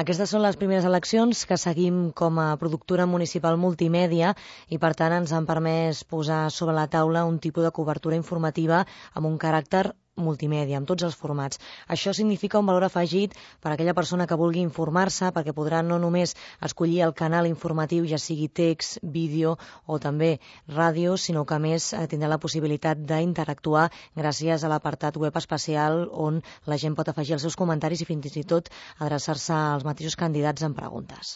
Aquestes són les primeres eleccions que seguim com a productora municipal multimèdia i, per tant, ens han permès posar sobre la taula un tipus de cobertura informativa amb un caràcter multimèdia, amb tots els formats. Això significa un valor afegit per a aquella persona que vulgui informar-se, perquè podrà no només escollir el canal informatiu, ja sigui text, vídeo o també ràdio, sinó que a més tindrà la possibilitat d'interactuar gràcies a l'apartat web especial on la gent pot afegir els seus comentaris i fins i tot adreçar-se als mateixos candidats amb preguntes.